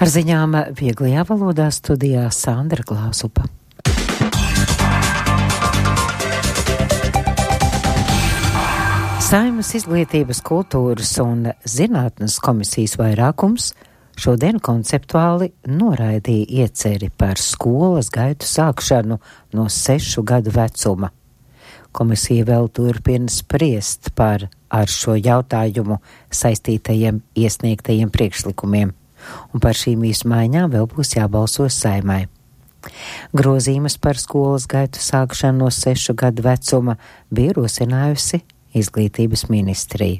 Ar ziņām vieglajā valodā studijā Sandra Klausupa. Saeimas izglītības, kultūras un zinātnes komisijas vairākums šodien konceptuāli noraidīja ieceri par skolas gaitu sākšanu no 6 gadu vecuma. Komisija vēl turpina spriest par ar šo jautājumu saistītajiem iesniegtajiem priekšlikumiem, un par šīm izmaiņām vēl būs jābalso Saeimai. Grozījumus par skolas gaitu sākšanu no 6 gadu vecuma bija rosinājusi Izglītības ministrija.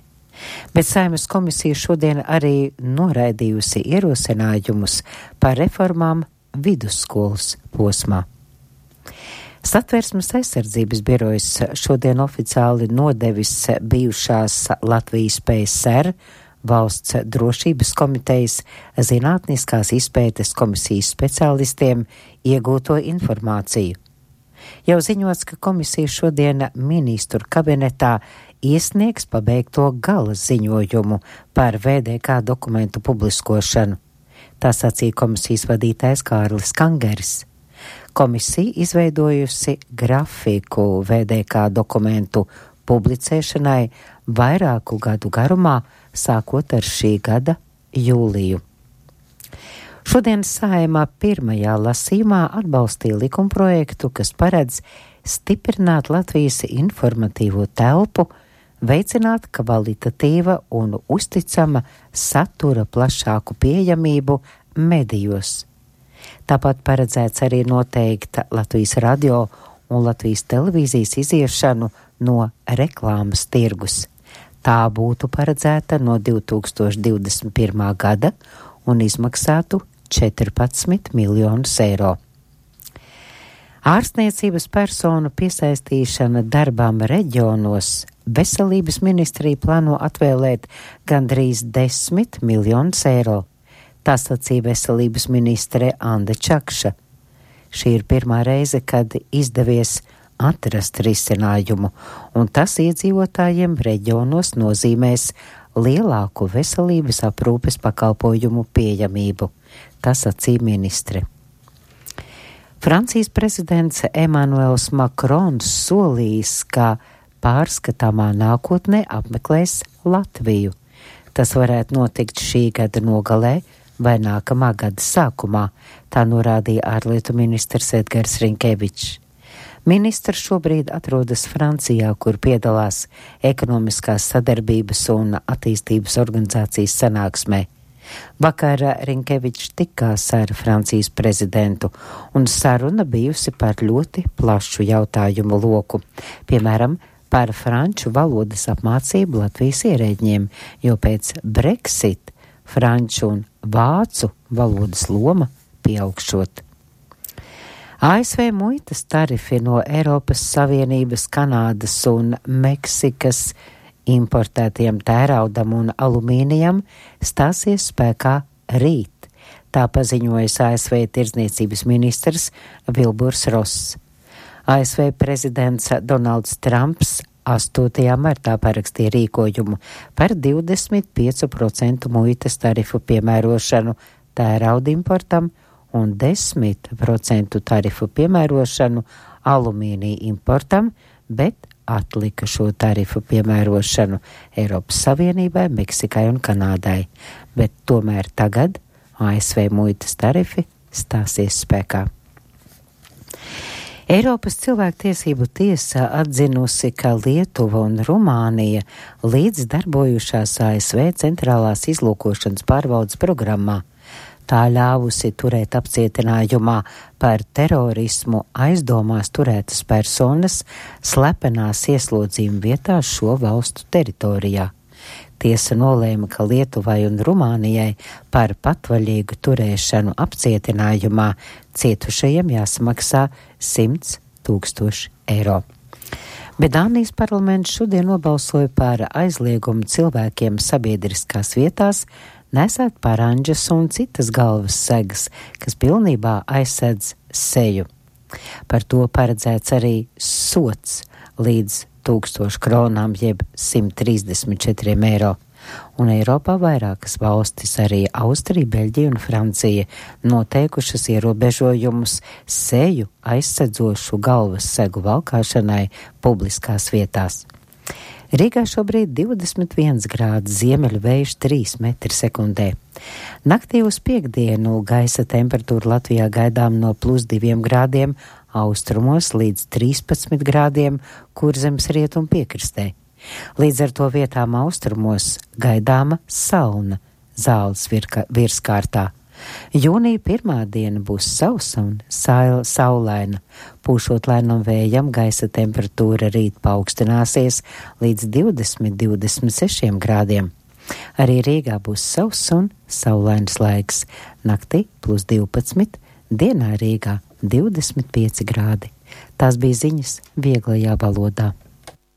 Bet Saeimas komisija šodien arī noraidījusi ierosinājumus par reformām vidusskolas posmā. Satversmes aizsardzības birojas šodien oficiāli nodevis bijušās Latvijas PSR Valsts drošības komitejas zinātniskās izpētes komisijas speciālistiem iegūto informāciju. Jau ziņots, ka komisija šodien ministru kabinetā iesniegs pabeigto gala ziņojumu par VDK dokumentu publiskošanu. Tā sacīja komisijas vadītājs Kārlis Kangeris. Komisija izveidojusi grafiku VDK dokumentu publicēšanai vairāku gadu garumā, sākot ar šī gada jūliju. Šodien Saeimā pirmajā lasījumā atbalstīja likumprojektu, kas paredz stiprināt Latvijas informatīvo telpu, veicināt kvalitatīva un uzticama satura plašāku pieejamību medijos. Tāpat paredzēts arī noteikta Latvijas radio un Latvijas televīzijas iziešanu no reklāmas tirgus. Tā būtu paredzēta no 2021. gada un izmaksātu 14 miljonus eiro. Ārstniecības personu piesaistīšana darbām reģionos Veselības ministrija plāno atvēlēt gandrīz 10 miljonus eiro. Tā sacīja Veselības ministre Anda Čakša. Šī ir pirmā reize, kad izdevies atrast risinājumu, un tas iedzīvotājiem reģionos nozīmēs lielāku veselības aprūpes pakalpojumu pieejamību. Tas sacīja ministre. Francijas prezidents Emmanuels Macrons solījis, ka pārskatāmā nākotnē apmeklēs Latviju. Tas varētu notikt šī gada nogalē vai nākamā gada sākumā, tā norādīja ārlietu ministrs Edgars Rinkevičs. Ministrs šobrīd atrodas Francijā, kur piedalās ekonomiskās sadarbības un attīstības organizācijas sanāksmē. Vakar Rinkevičs tikās ar Francijas prezidentu, un saruna bijusi par ļoti plašu jautājumu loku, piemēram, par franču valodas apmācību Latvijas ierēģiem, jo pēc Brexit franču un vācu valodas loma pieaugšot. ASV muitas tarifi no Eiropas Savienības, Kanādas un Meksikas importētiem tēraudam un alumīnijam stāsies spēkā rīt. Tā paziņojas ASV tirdzniecības ministrs Vilburs Ross. ASV prezidents Donalds Trumps 8. martā parakstīja rīkojumu par 25% muitas tarifu piemērošanu tērauda importam un 10% tarifu piemērošanu alumīnija importam, bet atlika šo tarifu piemērošanu Eiropas Savienībai, Meksikai un Kanādai. Bet tomēr tagad ASV muitas tarifi stāsies spēkā. Eiropas cilvēktiesību tiesa atzinusi, ka Lietuva un Rumānija līdz darbojušās ASV centrālās izlūkošanas pārbaudes programmā. Tā ļāvusi turēt apcietinājumā par terorismu aizdomās turētas personas slepenās ieslodzījuma vietās šo valstu teritorijā. Tiesa nolēma, ka Lietuvai un Rumānijai par patvaļīgu turēšanu apcietinājumā cietušajiem jāsamaksā 100 000 eiro. Bet Dānijas parlaments šodien nobalsoja par aizliegumu cilvēkiem sabiedriskās vietās nesāt parandžas un citas galvas segas, kas pilnībā aizsedz seju. Par to paredzēts arī sots līdz 1000 kronām jeb 134 eiro. un Eiropā vairākas valstis, arī Austrija, Beļģija un Francija, noteikušas ierobežojumus seju aizsedzošu galvas segu valkāšanai publiskās vietās. Rīgā šobrīd 21 grādi, ziemeļu vējš 3 metri sekundē. Naktī uz piektdienu gaisa temperatūra Latvijā gaidām no +2 grādiem austrumos līdz 13 grādiem Kurzemes rietumu piekrastē. Līdz ar to vietām austrumos gaidāma salna zāles virskārtā. Jūnija pirmā diena būs sausa un saulaina. Pūšot lēnam vējam, gaisa temperatūra rīt paaugstināsies līdz 20–26 grādiem. Arī Rīgā būs sauss un saulains laiks. Naktī +12, dienā Rīgā 25 grādi. Tās bija ziņas vieglajā valodā.